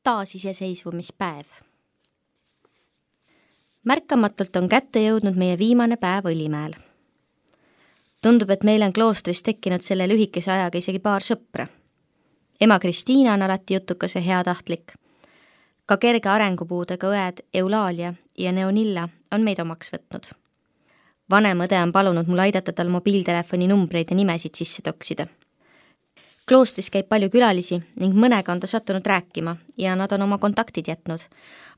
taasiseseisvumispäev. Märkamatult on kätte jõudnud meie viimane päev Õlimäel. Tundub, et meil on kloostris tekkinud selle lühikese ajaga isegi paar sõpra. Ema Kristiina on alati jutukas ja heatahtlik. Ka kerge arengupuudega õed Eulaalia ja Neonilla on meid omaks võtnud. Vanem õde on palunud mul aidata tal mobiiltelefoni numbreid ja nimesid sisse toksida. Kloostris käib palju külalisi ning mõnega on ta sattunud rääkima ja nad on oma kontaktid jätnud,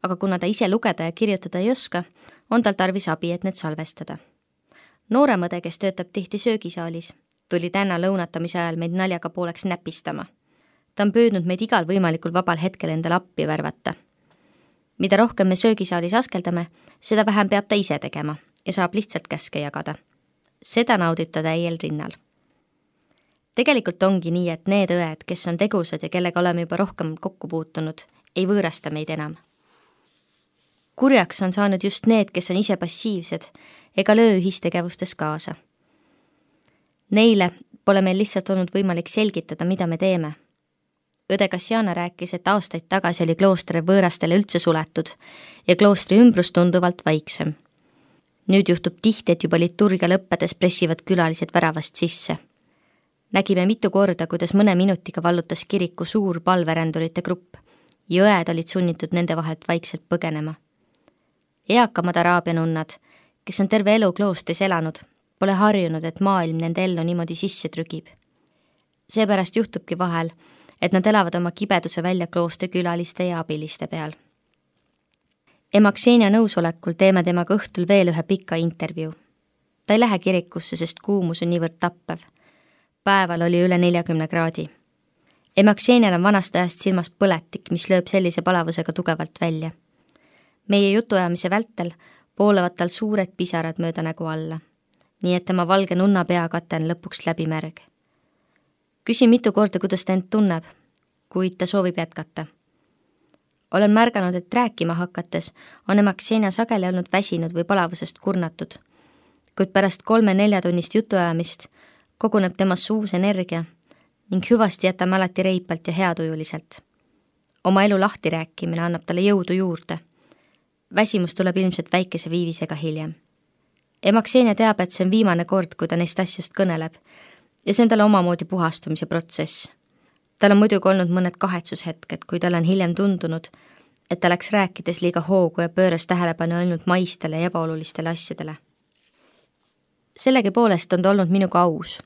aga kuna ta ise lugeda ja kirjutada ei oska, on tal tarvis abi, et need salvestada. Noorem õde, kes töötab tihti söögisaalis, tuli täna lõunatamise ajal meid naljaga pooleks näpistama. Ta on püüdnud meid igal võimalikul vabal hetkel endale appi värvata. Mida rohkem me söögisaalis askeldame, seda vähem peab ta ise tegema ja saab lihtsalt käske jagada. Seda naudib ta täiel rinnal. Tegelikult ongi nii, et need õed, kes on tegusad ja kellega oleme juba rohkem kokku puutunud, ei võõrasta meid enam. Kurjaks on saanud just need, kes on ise passiivsed ega löö ühistegevustes kaasa. Neile pole meil lihtsalt olnud võimalik selgitada, mida me teeme. Õde Kassiana rääkis, et aastaid tagasi oli klooster võõrastele üldse suletud ja kloostri ümbrus tunduvalt vaiksem. Nüüd juhtub tihti, et juba liturgia lõppedes pressivad külalised väravast sisse. Nägime mitu korda, kuidas mõne minutiga vallutas kiriku suur palverändurite grupp ja õed olid sunnitud nende vahelt vaikselt põgenema. Eakamad araabia nunnad, kes on terve elu kloostris elanud, pole harjunud, et maailm nende ellu niimoodi sisse trügib. Seepärast juhtubki vahel, et nad elavad oma kibeduse välja kloostri külaliste ja abiliste peal. Ema Ksenia nõusolekul teeme temaga õhtul veel ühe pika intervjuu. Ta ei lähe kirikusse, sest kuumus on niivõrd tappev. Päeval oli üle 40 kraadi. Ema Ksenial on vanast ajast silmas põletik, mis lööb sellise palavusega tugevalt välja. Meie jutuajamise vältel poolevad tal suured pisarad mööda nägu alla, nii et tema valge nunna peakate on lõpuks läbi märg. Küsin mitu korda, kuidas ta end tunneb, kuid ta soovib jätkata. Olen märganud, et rääkima hakates on ema Ksenia sageli olnud väsinud või palavusest kurnatud, kuid pärast 3-4 tunnist jutuajamist koguneb temas uus energia ning hüvasti jätame alati reipalt ja heatujuliselt. Oma elu lahti rääkimine annab talle jõudu juurde. Väsimus tuleb ilmselt väikese viivisega hiljem. Ema Ksenia teab, et see on viimane kord, kui ta neist asjast kõneleb ja see on talle omamoodi puhastumise protsess. Tal on muidugi olnud mõned kahetsushetked, kui tal on hiljem tundunud, et ta läks rääkides liiga hoogu ja pööras tähelepanu ainult maistele ja ebaolulistele asjadele. Sellegi poolest on ta olnud minuga aus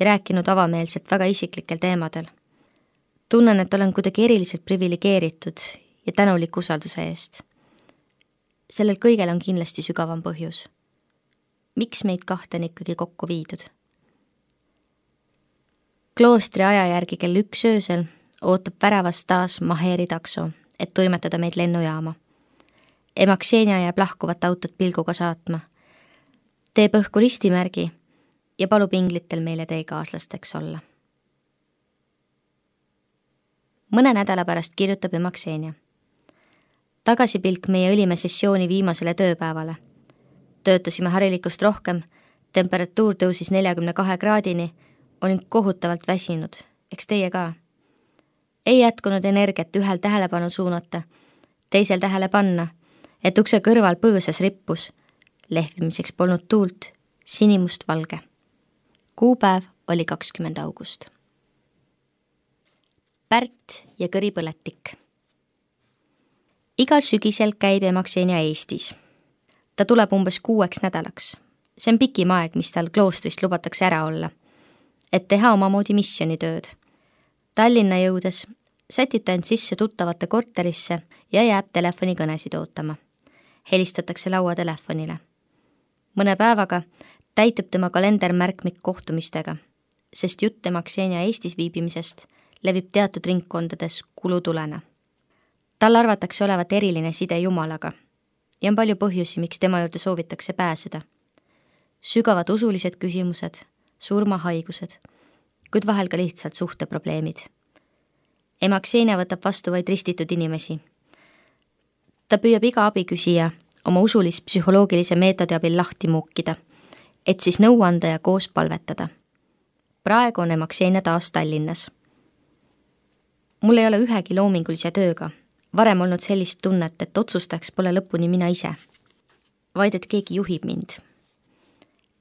ja rääkinud avameelselt väga isiklikel teemadel. Tunnen, et olen kuidagi eriliselt privilegeeritud ja tänulik usalduse eest. Sellel kõigel on kindlasti sügavam põhjus. Miks meid kahte on ikkagi kokku viidud? Kloostri aja järgi kell 1 öösel ootab väravast taas Maheri takso, et toimetada meid lennujaama. Ema Ksenia jääb lahkuvat autot pilguga saatma. Teeb õhku ristimärgi ja palub inglitel meile teekaaslasteks olla. Mõne nädala pärast kirjutab ema Ksenia. Tagasipilk meie Õlimäe sessiooni viimasele tööpäevale. Töötasime harilikust rohkem, temperatuur tõusis 42 kraadini, olin kohutavalt väsinud, eks teie ka. Ei jätkunud energiat ühel tähelepanu suunata, teisel tähele panna, et ukse kõrval põõsas rippus. Lehvimiseks polnud tuult, sinimust valge. Kuupäev oli 20. august. Pärt ja kõripõletik. Igal sügisel käib ema Ksenia Eestis. Ta tuleb umbes 6 nädalaks. See on pikim aeg, mis tal kloostrist lubatakse ära olla, et teha omamoodi missionitööd. Tallinna jõudes sätib ta end sisse tuttavate korterisse ja jääb telefonikõnesid ootama. Helistatakse lauatelefonile. Mõne päevaga täitub tema kalender märkmik kohtumistega, sest jutt ema Ksenia Eestis viibimisest levib teatud ringkondades kulutulena. Tal arvatakse olevat eriline side Jumalaga ja on palju põhjusi, miks tema juurde soovitakse pääseda. Sügavad usulised küsimused, surmahaigused, kuid vahel ka lihtsalt suhteprobleemid. Ema Ksenia võtab vastu vaid ristitud inimesi. Ta püüab iga abiküsija oma usulis-psühholoogilise meetodi abil lahti muukida, et siis nõu anda ja koos palvetada. Praegu on ema Ksenia taas Tallinnas. Mul ei ole ühegi loomingulise tööga, varem olnud sellist tunnet, et otsustaks pole lõpuni mina ise, vaid et keegi juhib mind.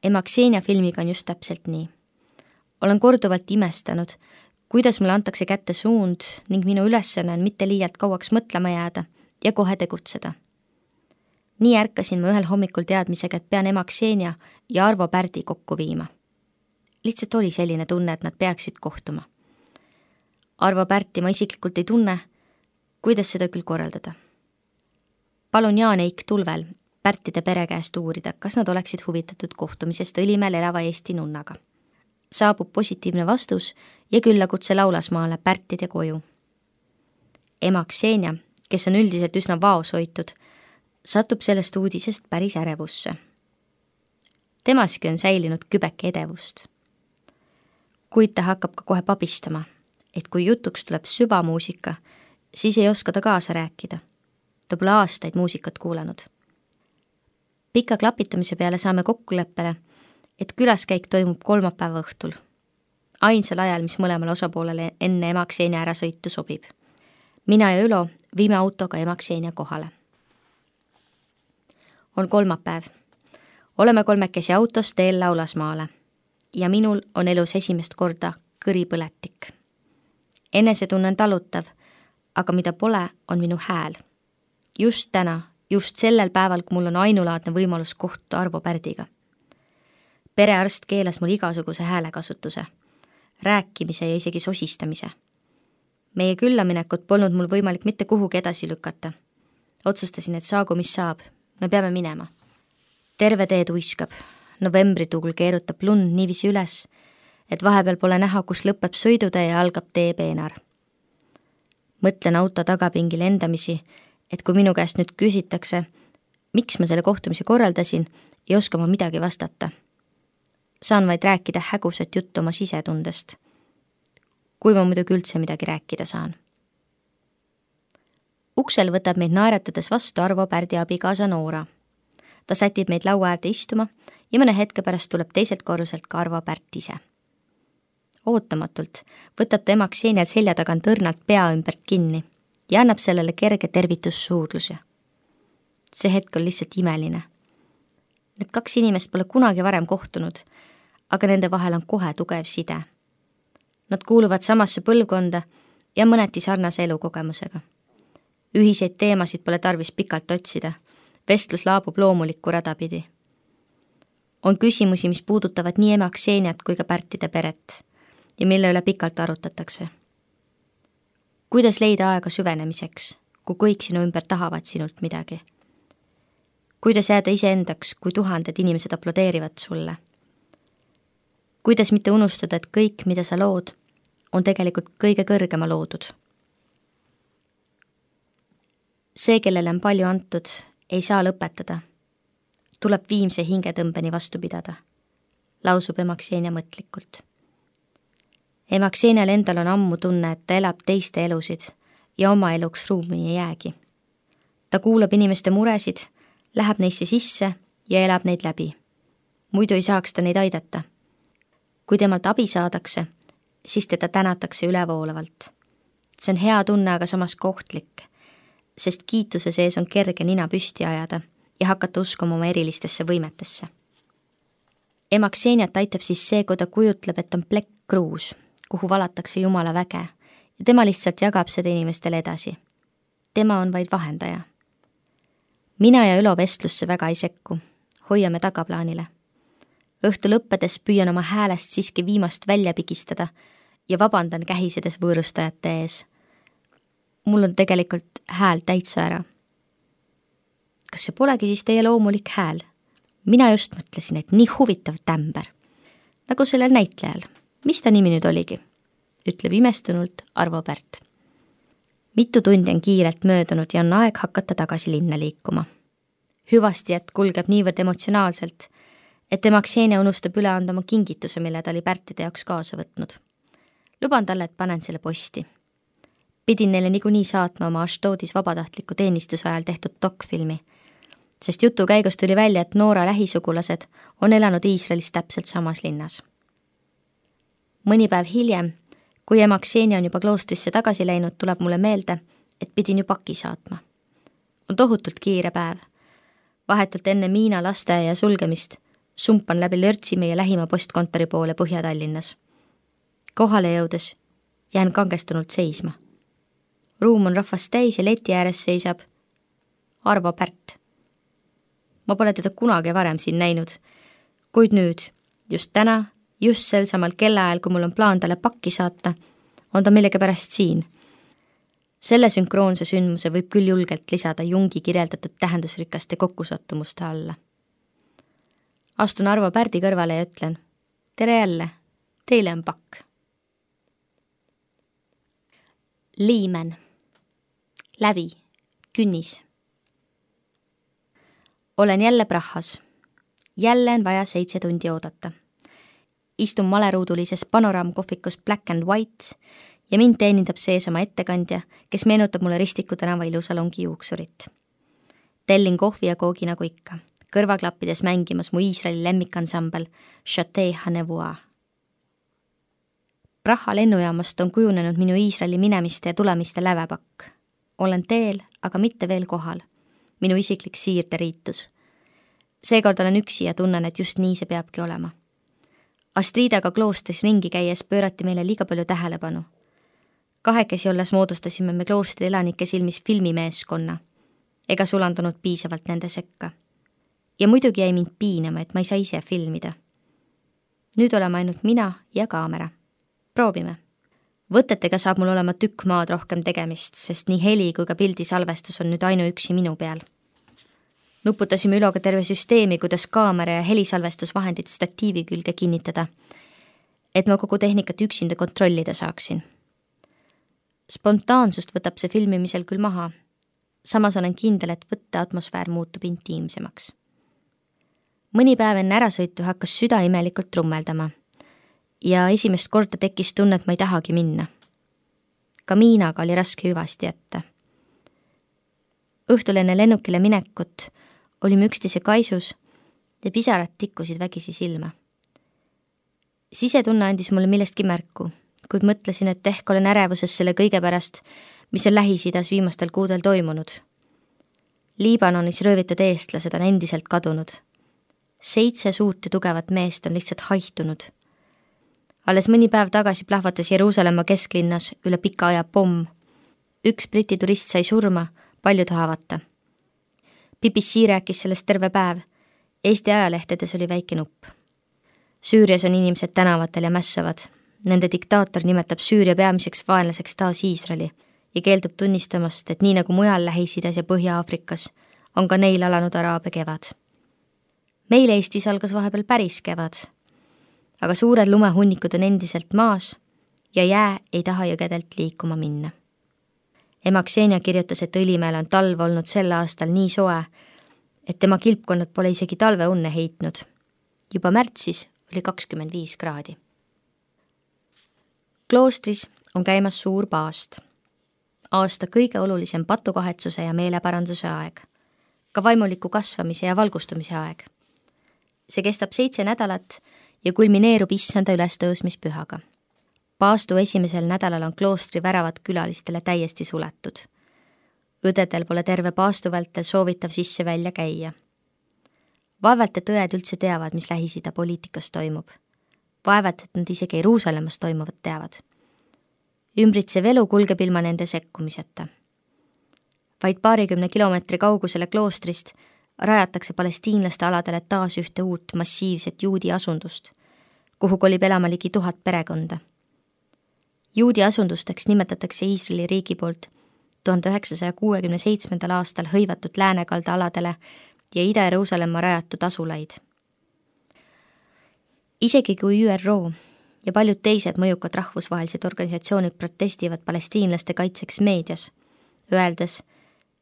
Ema Ksenia filmiga on just täpselt nii. Olen korduvalt imestanud, kuidas mulle antakse kätte suund ning minu ülesanne on mitte liialt kauaks mõtlema jääda ja kohe tegutseda. Nii ärkasin ma ühel hommikul teadmisega, et pean ema Ksenia ja Arvo Pärdi kokku viima. Lihtsalt oli selline tunne, et nad peaksid kohtuma. Arvo Pärti ma isiklikult ei tunne, kuidas seda küll korraldada. Palun Jaan Eik Tulvel Pärtide pere käest uurida, kas nad oleksid huvitatud kohtumisest Õlimäel elava Eesti nunnaga. Saabub positiivne vastus ja küllakutse Laulasmaale Pärtide koju. Ema Ksenia, kes on üldiselt üsna vaoshoitud, satub sellest uudisest päris ärevusse. Temaski on säilinud kübeke edevust. Kuid ta hakkab ka kohe pabistama, et kui jutuks tuleb süvamuusika, siis ei oska ta kaasa rääkida. Ta pole aastaid muusikat kuulanud. Pika klapitamise peale saame kokkuleppele, et külaskäik toimub kolmapäeva õhtul. Ainsal ajal, mis mõlemale osapoolele enne ema Ksenia ärasõitu sobib. Mina ja Ülo viime autoga ema Ksenia kohale. On kolmapäev. Oleme kolmekesi autos teel Laulasmaale ja minul on elus esimest korda kõripõletik. Enesetunne on talutav, aga mida pole, on minu hääl. Just täna, just sellel päeval, kui mul on ainulaadne võimalus kohtuda Arvo Pärdiga. Perearst keelas mul igasuguse häälekasutuse, rääkimise ja isegi sosistamise. Meie küllaminekut polnud mul võimalik mitte kuhugi edasi lükata. Otsustasin, et saagu mis saab, me peame minema. Terve tee tuiskab, novembrituul keerutab lund niiviisi üles, et vahepeal pole näha, kus lõpeb sõidutee ja algab tee peenar. Mõtlen auto tagapingil endamisi, et kui minu käest nüüd küsitakse, miks ma selle kohtumise korraldasin, ei oska ma midagi vastata. Saan vaid rääkida hägusat juttu oma sisetundest. Kui ma muidugi üldse midagi rääkida saan. Uksel võtab meid naeratades vastu Arvo Pärdi abikaasa Noora. Ta sätib meid laua äärde istuma ja mõne hetke pärast tuleb teiselt korruselt ka Arvo Pärt ise. Ootamatult võtab ta ema Ksenial selja tagant õrnalt pea ümbert kinni ja annab sellele kerge tervitussuudluse. See hetk on lihtsalt imeline. Need kaks inimest pole kunagi varem kohtunud, aga nende vahel on kohe tugev side. Nad kuuluvad samasse põlvkonda ja mõneti sarnase elukogemusega. Ühiseid teemasid pole tarvis pikalt otsida, vestlus laabub loomulikku radapidi. On küsimusi, mis puudutavad nii ema Kseniat kui ka Pärtide peret ja mille üle pikalt arutatakse. Kuidas leida aega süvenemiseks, kui kõik sinu ümber tahavad sinult midagi? Kuidas jääda iseendaks, kui tuhanded inimesed aplodeerivad sulle? Kuidas mitte unustada, et kõik, mida sa lood, on tegelikult kõige kõrgema loodud? See, kellele on palju antud, ei saa lõpetada. Tuleb viimse hingetõmbeni vastu pidada, lausub ema Ksenia mõtlikult. Ema Ksenial endal on ammu tunne, et ta elab teiste elusid ja oma eluks ruumi ei jäägi. Ta kuulab inimeste muresid, läheb neisse sisse ja elab neid läbi. Muidu ei saaks ta neid aidata. Kui temalt abi saadakse, siis teda tänatakse ülevoolavalt. See on hea tunne, aga samas kohtlik, sest kiituse sees on kerge nina püsti ajada ja hakata uskuma oma erilistesse võimetesse. Ema Kseniat aitab siis see, kui ta kujutleb, et on plekk kruus, kuhu valatakse Jumala väge ja tema lihtsalt jagab seda inimestele edasi. Tema on vaid vahendaja. Mina ja Ülo vestlusse väga ei sekku, hoiame tagaplaanile. Õhtu lõppedes püüan oma häälest siiski viimast välja pigistada ja vabandan kähisedes võõrustajate ees. Mul on tegelikult hääl täitsa ära. Kas see polegi siis teie loomulik hääl? Mina just mõtlesin, et nii huvitav tämber. Nagu sellel näitlejal. Mis ta nimi nüüd oligi? Ütleb imestunult Arvo Pärt. Mitu tundi on kiirelt möödunud ja on aeg hakata tagasi linna liikuma. Hüvastijät kulgeb niivõrd emotsionaalselt, et ema Ksenia unustab üle anda oma kingituse, mille ta oli Pärtide jaoks kaasa võtnud. Luban talle, et panen selle posti. Pidin neile niikuinii saatma oma Ashdodis vabatahtliku teenistuse ajal tehtud dokfilmi, sest jutu käigus tuli välja, et Noora lähisugulased on elanud Iisraelis täpselt samas linnas. Mõni päev hiljem, kui ema Ksenia on juba kloostrisse tagasi läinud, tuleb mulle meelde, et pidin ju paki saatma. On tohutult kiire päev. Vahetult enne Miina lasteaia sulgemist sumpan läbi lörtsi meie lähima postkontori poole Põhja-Tallinnas. Kohale jõudes jään kangestunult seisma. Ruum on rahvast täis ja leti ääres seisab Arvo Pärt. Ma pole teda kunagi varem siin näinud, kuid nüüd, just täna, just sel samal kellaajal, kui mul on plaan talle pakki saata, on ta millegipärast siin. Selle sünkroonse sündmuse võib küll julgelt lisada Jungi kirjeldatud tähendusrikaste kokkusattumuste alla. Astun Arvo Pärdi kõrvale ja ütlen, tere jälle, teile on pakk. Liimen. Lävi. Künnis. Olen jälle Prahas. Jälle on vaja 7 tundi oodata. Istun maleruudulises panoraamkohvikus Black and White ja mind teenindab seesama ettekandja, kes meenutab mulle Ristiku tänava ilusalongi juuksurit. Tellin kohvi ja koogi nagu ikka, kõrvaklappides mängimas mu Iisraeli lemmikansambel Château Hanevois. Praha lennujaamast on kujunenud minu Iisraeli minemiste ja tulemiste lävepakk. Olen teel, aga mitte veel kohal. Minu isiklik siirderiitus. Seekord olen üksi ja tunnen, et just nii see peabki olema. Astridaga kloostris ringi käies pöörati meile liiga palju tähelepanu. Kahekesi olles moodustasime me kloostri elanike silmis filmimeeskonna, ega sulandunud piisavalt nende sekka. Ja muidugi jäi mind piinama, et ma ei saa ise filmida. Nüüd oleme ainult mina ja kaamera. Proovime. Võtetega saab mul olema tükk maad rohkem tegemist, sest nii heli kui ka pildisalvestus on nüüd ainuüksi minu peal. Nuputasime Üloga terve süsteemi, kuidas kaamera ja helisalvestusvahendid statiivi külge kinnitada, et ma kogu tehnikat üksinda kontrollida saaksin. Spontaansust võtab see filmimisel küll maha. Samas olen kindel, et võtte atmosfäär muutub intiimsemaks. Mõni päev enne ärasõitu hakkas süda imelikult trummeldama ja esimest korda tekkis tunne, et ma ei tahagi minna. Ka Miinaga oli raske hüvasti jätta. Õhtul enne lennukile minekut olime üksteise kaisus ja pisarad tikkusid vägisi silma. Sisetunne andis mulle millestki märku, kuid mõtlesin, et ehk olen ärevuses selle kõige pärast, mis on Lähis-Idas viimastel kuudel toimunud. Liibanonis röövitud eestlased on endiselt kadunud. 7 suurt ja tugevat meest on lihtsalt haihtunud. Alles mõni päev tagasi plahvatas Jeruusalemma kesklinnas üle pika aja pomm. 1 Briti turist sai surma, paljud haavata. BBC rääkis sellest terve päev. Eesti ajalehtedes oli väike nupp. Süürias on inimesed tänavatel ja mässavad. Nende diktaator nimetab Süüria peamiseks vaenlaseks taas Iisraeli ja keeldub tunnistamast, et nii nagu mujal Lähis-Idas ja Põhja-Aafrikas on ka neil alanud araabia kevad. Meil Eestis algas vahepeal päris kevad, aga suured lumehunnikud on endiselt maas ja jää ei taha jõgedelt liikuma minna. Ema Ksenia kirjutas, et Õlimäel on talv olnud sel aastal nii soe, et tema kilpkonnad pole isegi talveunne heitnud. Juba märtsis oli 25 kraadi. Kloostris on käimas suur paast. Aasta kõige olulisem patukahetsuse ja meeleparanduse aeg. Ka vaimuliku kasvamise ja valgustumise aeg. See kestab 7 nädalat ja kulmineerub issanda ülestõusmispühaga. Paastu esimesel nädalal on kloostri väravad külalistele täiesti suletud. Õdedel pole terve paastu vältel soovitav sisse välja käia. Vaevalt, et õed üldse teavad, mis Lähis-Ida poliitikas toimub. Vaevalt, et nad isegi Jeruusalemmas toimuvat teavad. Ümbritsev elu kulgeb ilma nende sekkumiseta. Vaid 20 kilomeetri kaugusele kloostrist rajatakse palestiinlaste aladele taas ühte uut massiivset juudi asundust, kuhu kolib elama ligi 1000 perekonda. Juudi asundusteks nimetatakse Iisraeli riigi poolt 1967. aastal hõivatud läänekalda aladele ja Ida-Jeruusalemma rajatud asulaid. Isegi kui ÜRO ja paljud teised mõjukad rahvusvahelised organisatsioonid protestivad palestiinlaste kaitseks meedias, öeldes,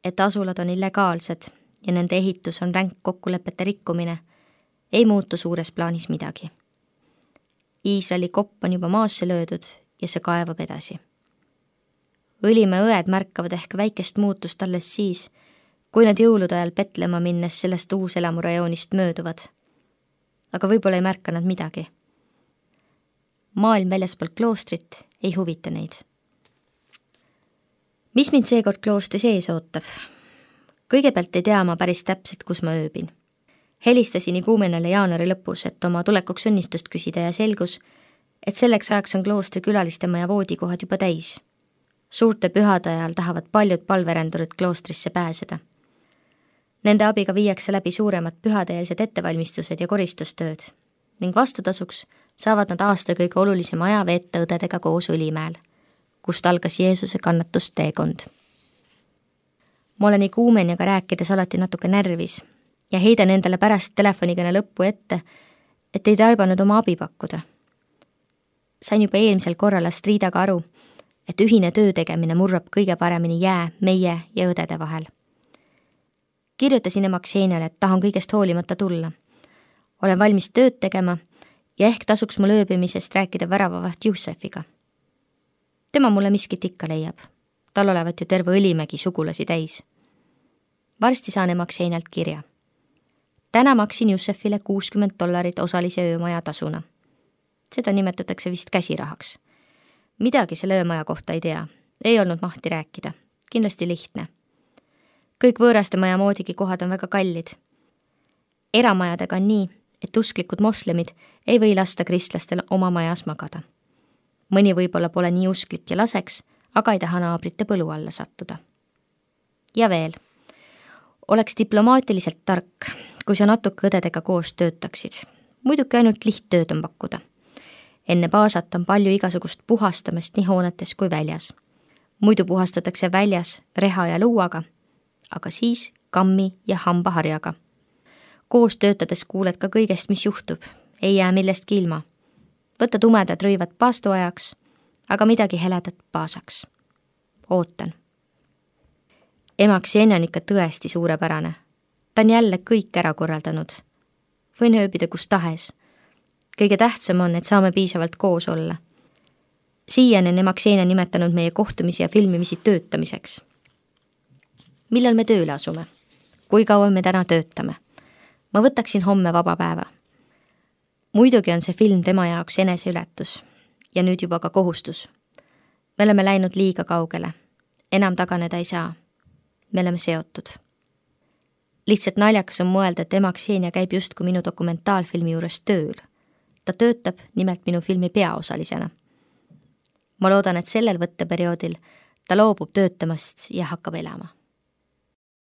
et asulad on illegaalsed ja nende ehitus on ränk kokkulepete rikkumine, ei muutu suures plaanis midagi. Iisraeli kopp on juba maasse löödud ja see kaevab edasi. Õlimäe õed märkavad ehk väikest muutust alles siis, kui nad jõulude ajal Betlema minnes sellest uuselamurajoonist mööduvad. Aga võib-olla ei märka nad midagi. Maailm väljaspool kloostrit ei huvita neid. Mis mind seekord kloostri sees ootab? Kõigepealt ei tea ma päris täpselt, kus ma ööbin. Helistasin iguumenale jaanuari lõpus, et oma tulekuks õnnistust küsida ja selgus, et selleks ajaks on kloostri külalistemaja voodikohad juba täis. Suurte pühade ajal tahavad paljud palverendurid kloostrisse pääseda. Nende abiga viiakse läbi suuremad pühadeelsed ettevalmistused ja koristustööd ning vastutasuks saavad nad aasta kõige olulisem aja veeta õdedega koos Õlimäel, kust algas Jeesuse kannatusteekond. Ma olen iguumeniaga rääkides alati natuke närvis ja heidan endale pärast telefonikõne lõppu ette, et ei taibanud oma abi pakkuda. Sain juba eelmisel korral Astridaga aru, et ühine töö tegemine murrab kõige paremini jää meie ja õdede vahel. Kirjutasin ema Kseniale, et tahan kõigest hoolimata tulla. Olen valmis tööd tegema ja ehk tasuks mul ööbimisest rääkida väravavaht Jussefiga. Tema mulle miskit ikka leiab. Tal olevat ju terve Õlimägi sugulasi täis. Varsti saan ema Ksenialt kirja. Täna maksin Jussefile $60 osalise öömaja tasuna. Seda nimetatakse vist käsirahaks. Midagi selle öömaja kohta ei tea. Ei olnud mahti rääkida. Kindlasti lihtne. Kõik võõraste maja moodigi kohad on väga kallid. Eramajadega on nii, et usklikud moslemid ei või lasta kristlastel oma majas magada. Mõni võib-olla pole nii usklik ja laseks, aga ei taha naabrite põlu alla sattuda. Ja veel. Oleks diplomaatiliselt tark, kui sa natuke õdedega koos töötaksid. Muidugi ainult lihttööd on pakkuda. Enne baasat on palju igasugust puhastamist nii hoonetes kui väljas. Muidu puhastatakse väljas reha ja luuaga, aga siis kammi ja hambaharjaga. Koos töötades kuuled ka kõigest, mis juhtub. Ei jää millestki ilma. Võta tumedad rõivad paastuajaks, aga midagi heledat paasaks. Ootan. Ema Ksenia on ikka tõesti suurepärane. Ta on jälle kõik ära korraldanud. Võin ööbida kus tahes. Kõige tähtsam on, et saame piisavalt koos olla. Siiani on ema Ksenia nimetanud meie kohtumisi ja filmimisi töötamiseks. Millal me tööle asume? Kui kaua me täna töötame? Ma võtaksin homme vaba päeva. Muidugi on see film tema jaoks eneseületus ja nüüd juba ka kohustus. Me oleme läinud liiga kaugele. Enam taganeda ei saa. Me oleme seotud. Lihtsalt naljakas on mõelda, et ema Ksenia käib justkui minu dokumentaalfilmi juures tööl. Ta töötab nimelt minu filmi peaosalisena. Ma loodan, et sellel võtteperioodil ta loobub töötamast ja hakkab elama.